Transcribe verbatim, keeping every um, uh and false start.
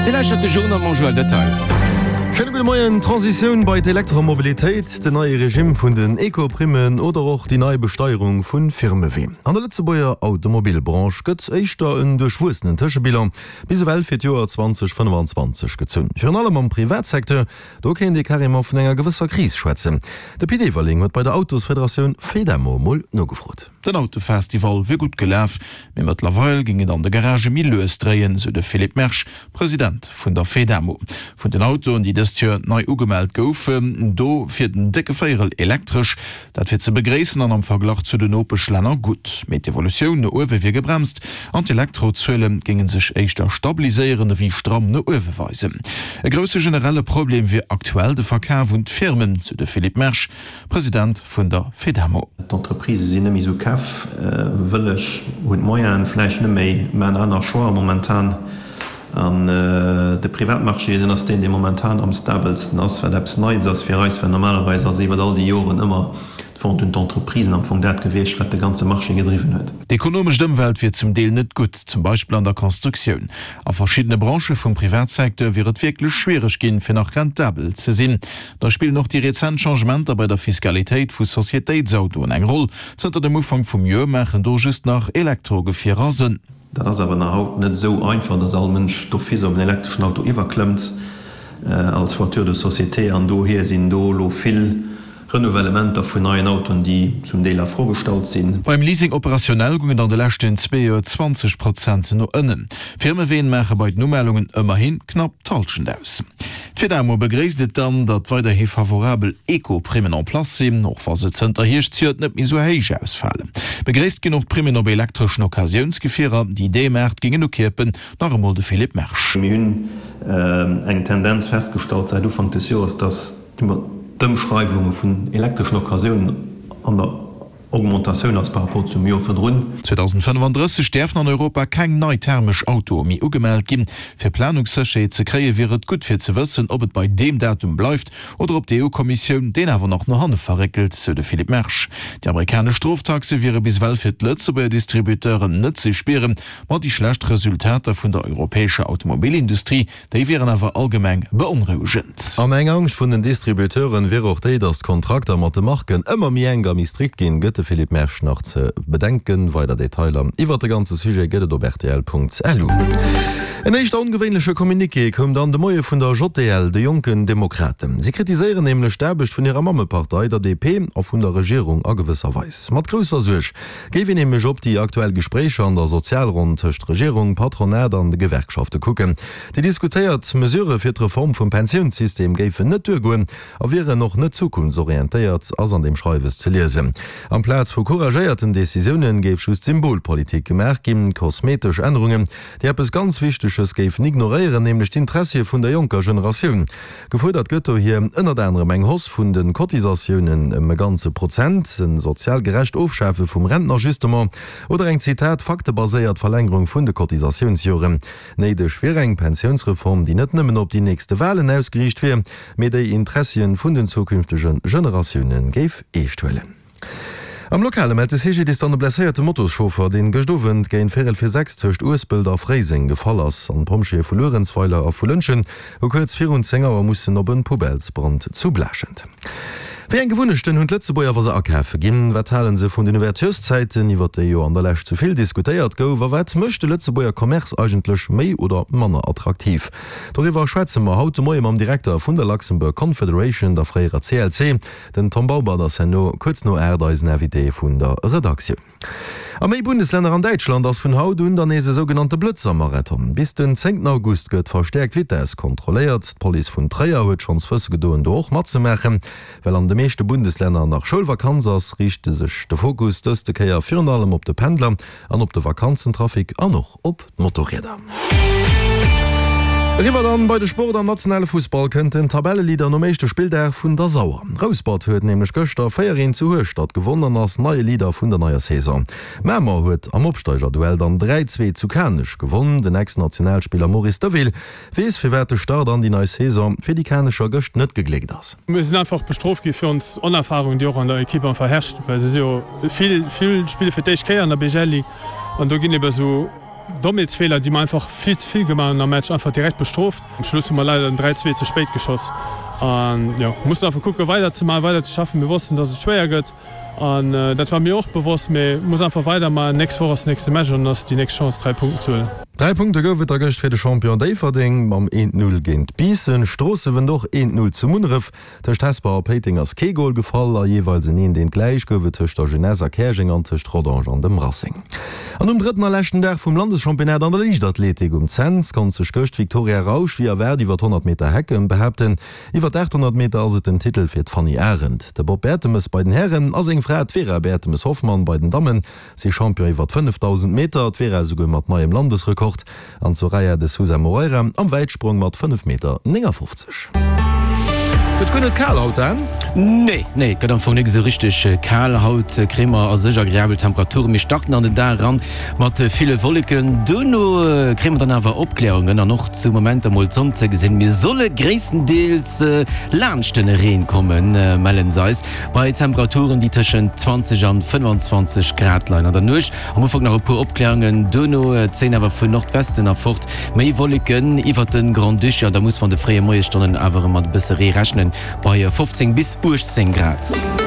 Dir lauschtert de Journal mam Joël Detail. Schéine gudde Moien. D'Transitioun bei d'Elektromobilitéit, den neie Regimm vun den Eco-Primmen oder och déi nei Besteierung vu Firmeween. An der Lëtzebuerger Automobilbranche gëtt éischter en duerchwuessenen Tëschebilan bis ewell fir d'Joer zweitausendfënnefanzwanzeg gezunn. Virun allem am Privatsecteur, do kéint ee carrément vun enger gewësser Kris schwätzen. De Pit Everling huet bei der Autosfederatioun Fedamo mol nogefrot. Den Autofestival wier gutt gelaf, mee mëttlerweil géing et an de Garagë méi lues dréien, sou de Philippe Mersch, President vun der Fedamo. Vun den Autoen, déi dëst Joer nei ugemellt goufen, do wier den décke Véierel elektresch. Dat wier ze begréissen an am Verglach zu den Nopeschlänner gutt. Mee d'Evolutioun no uewe wier gebremst an d'Elektrozuele géinge sech éischter stabiliséieren ewéi stramm no uewe weisen. E grousse generelle Problem wier aktuell de Verkaf un d'Firmen, sou de Philippe Mersch, President vun der Fedamo. D'Entreprisë sinn net méi esou kafwëlleg, hunn d'Moyenen vläicht net méi, maachen aner Choixen momentan. An de Privatmarché, deen ass deen, dee momentan am stabelsten ass, wat eppes Neits ass fir eis, well normalerweis ass iwwer all déi Joren ëmmer d'Vente un d'Entreprisen am Fong dat gewiescht, wat de ganze Marché gedriwwen huet. D'ekonomescht Ëmwelt wier zum Deel net gutt, zum Beispill an der Constructioun. A verschiddene Branchë vum Privatsecteur wier et wierklech schwiereg ginn, fir nach rentabel ze sinn. Da spillen och déi rezent Changementer bei der Fiskalitéit vu Societéitsautoen eng Roll. Zënter dem Ufank vum Joer maachen do just nach Elektrogefierer Sënn. Dat ass awer nach haut net esou einfach, dass all Mënsch d'office op en elektreschen Auto iwwerklëmmt als Voiture de société. An dohier sinn do elo vill Renouvellementer vun neien Autoen, déi zum Deel a Fro gestallt sinn. Beim Leasing opérationnel goung et an de leschten zwee Joer zwanzeg Prozent no ënnen. D'Firmeween maache bei den Umellungen ëmmerhi knapp d'Hallschent aus. D'Fedamo begréisst et dann, datt weiderhi favorabel Eco-Primmen en place sinn, och wa se zënter Hierscht zejoert net méi esou héich ausfalen. Begréisst ginn och d'Primmen op elektreschen Occasiounsgefierer, déi dee Maart géingen ukierpen. Nach emol de Philippe Mersch. Mir hunn eng Tendenz festgestallt säit Ufank des Joers, datt d'Ëmschreiwunge vun elektreschen Occasiounen an der Augmentatioun ass par rapport zum Joer virdrun. zweitausendfënnefanddrësseg däerfen an Europa keng nei thermesch Autoe méi ugemellt ginn. Fir Planungssécherheet ze kréien, wier et gutt fir ze wëssen, ob et bei deem Datum bleift oder ob d'EU-Kommissioun deen awer nach no hanne verréckelt, sou de Philippe Mersch. Déi amerikanesch Stroftaxe wiere bis ewell fir d'Lëtzebuerger Distributeuren net ze spieren, ma déi schlecht Resultater vun der europäescher Automobilindustrie, Déi wieren awer allgemeng beonrouegend. An eng Angscht vun den Distributeuren wier och déi, datt d'Kontrakter mat de Marken ëmmer méi enk a méi strikt ginn, gëtt de Philippe Mersch nach ze bedenken. Weider Detailer iwwert de ganze Sujet gëtt et op rtl.lu. En éischter ongewéinleche Communiqué koum dann de Moie vun der J D L, de Jonken Demokraten. Si kritiséieren nämlech d'Aarbecht vun hirer Mammepartei, der D P, a vun der Regierung a gewësser Weis. Mat grousser Suerg géif een nämlech op déi aktuell Gespréicher an der Sozialronn tëscht Regierung, Patronat an de Gewerkschafte kucken. Déi diskutéiert Mesurë fir d'Reform vum Pensiounssystem géifen net duergoen a wieren och net zukunftsorientéiert, ass an deem Schreiwes ze liesen. Amplaz vu couragéierten Decisioune géif just Symbolpolitik gemaach ginn, kosmetesch Ännerungen, déi eppes ganz Wichteges géifen ignoréieren, nämlech d'Intressie vun der jonker Generatioun. Gefuerdert gëtt dohier ënnert anerem eng Hausse vun de Cotisatiounen ëm e ganze Prozent, e sozial gerecht Ofschafe vum Rentenajustement oder eng, Zitat, faktebaséiert Verlängerung vun de Cotisatiounsjoren. Néideg wier eng Pensiounsreform, déi net nëmmen op déi nächste Walen ausgeriicht wier, mee déi Interessien vun den zukünftege Generatioune géif eescht huelen. Am Lokale mellt de C G D I S dann e blesséierte Motoschauffer, deen gëscht Owend géint véierel vir sechs tëscht Uespelt a Fréiseng gefall ass. An d'Pompjeeë vu Luerenzweiler a vu Lëntgen hu kuerz virun zéng Auer mussen op en Poubellesbrand zu Blaaschent. Wéi eng Gewunnechten hunn d'Lëtzebuerger, wa se akafe ginn? Wat hale se vun den Ouvertureszäiten, iwwer déi jo an der Lescht sou vill diskutéiert gouf? A wat mécht de Lëtzebuerger Commerce eigentlech méi oder manner attraktiv? Doriwwer schwätze mer haut de Moie mam Direkter vun der Luxembourg Confederation, der fréierer C L C. Den Tom Baubert ass herno kuerz no aacht eisen Invité vun der Redaktioun. A méi Bundeslänner an Däitschland ass vun haut un dann nees e sougenannte Blëtzer-Marathon. Bis den zéngten August gëtt verstäerkt d'Vitess kontrolléiert. D'Police vun Tréier huet schonns wësse gedoen, do och matzemaachen. Well an de meeschte Bundeslänner nach Schoulvakanz ass, riichte sech de Fokus dëste Kéier virun allem op de Pendler an op de Vakanzentrafic an och op d'Motorrieder. Eriwwer dann bei de Sport. Am nationale Fussball kënnt den Tabelleleader nom éischte Spilldag vun der Sauer. Rouspert huet nämlech gëschter véier eent zu Hueschtert gewonn an ass neie Leader vun der neier Saison. Mamer huet am Opsteigerduell dann dräi zwee zu Kanech gewonn. Den Ex-Nationalspiller Maurice Deville weess firwat de Start an déi nei Saison fir déi Kanecher gëscht net gegléckt ass. Mir sinn einfach bestrooft gi fir ons Onerfahrung, déi och an der Ekipp einfach herrscht, well se si jo vill, vill spille fir d'éischt Kéier an der B G L Ligue an do ginn ebe sou Dommheetsfeeler, déi mer einfach vill ze vill gemaach hunn am Match, einfach direkt bestrooft. Um Schluss hu mer leider den dräi zwee ze spéit geschoss an jo, mussen einfach kucke weider ze maachen, weider ze schaffen. Mir wossten, dass et schwéier gëtt an dat war mir och bewosst, mee muss einfach weider maachen. Nächst Woch ass den nächste Match an ass déi nächst Chance dräi Punkten ze huelen. Dräi Punkte gouf et da gëscht fir de Champion Déifferdeng mam eent Null géint Biissen. Stroosse wënnt och eent Null zu Munneref. Tëscht Hesper a Péiteng ass kee Gol gefall a jeeweils en eent eent gläich gouf et tëscht der Jeunesse a Käerjeng an tëscht Rodange an dem Racing. An um drëtten a leschten Dag vum Landeschampionnat an der Liichtathletik um Cents konnt sech gëscht d'Victoria Rausch wéi erwaart iwwer d'honnert Meter Hecken behaapten. Iwwer d'aathonnert Meter ass et den Titel fir d'Fanny Arendt. De Bob Bertemes bei den Hären a seng Fra d'Vera Bertemes-Hoffmann bei den Dammen si Champion iwwer d'fënnefdausend Meter, d'Vera esouguer mat neiem Landesrekord an d'Soraya de Sousa Moreira am Wäitsprong mat fënnef Meter néngafofzeg. Gëtt guer net kal haut, Dan? Nee, nee, gëtt am Fong nik esou richteg kal. Haut kréie mer a sech agreabel Temperaturen. Mir starten an den Dag eran mat ville Wolleken, duerno kréie mer dann awer Opklärungen an och zu Momenter mol d'Sonn ze gesinn. Mir solle gréisstendeels laanscht den Reen kommen, mellen se eis, bei Temperaturen, déi tëschent zwanzeg an fënnwanzwanzeg Grad leien. An der Nuecht am Ufank nach e puer Opklärungen, duerno zéien awer vun Nordwesten erfort méi Wolleken iwwert de Grand-Duché an da muss mer an de fréie Moiesstonnen awer erëm mat e bësse Ree rechnen, bei fofzéng bis uechtzéng Grad.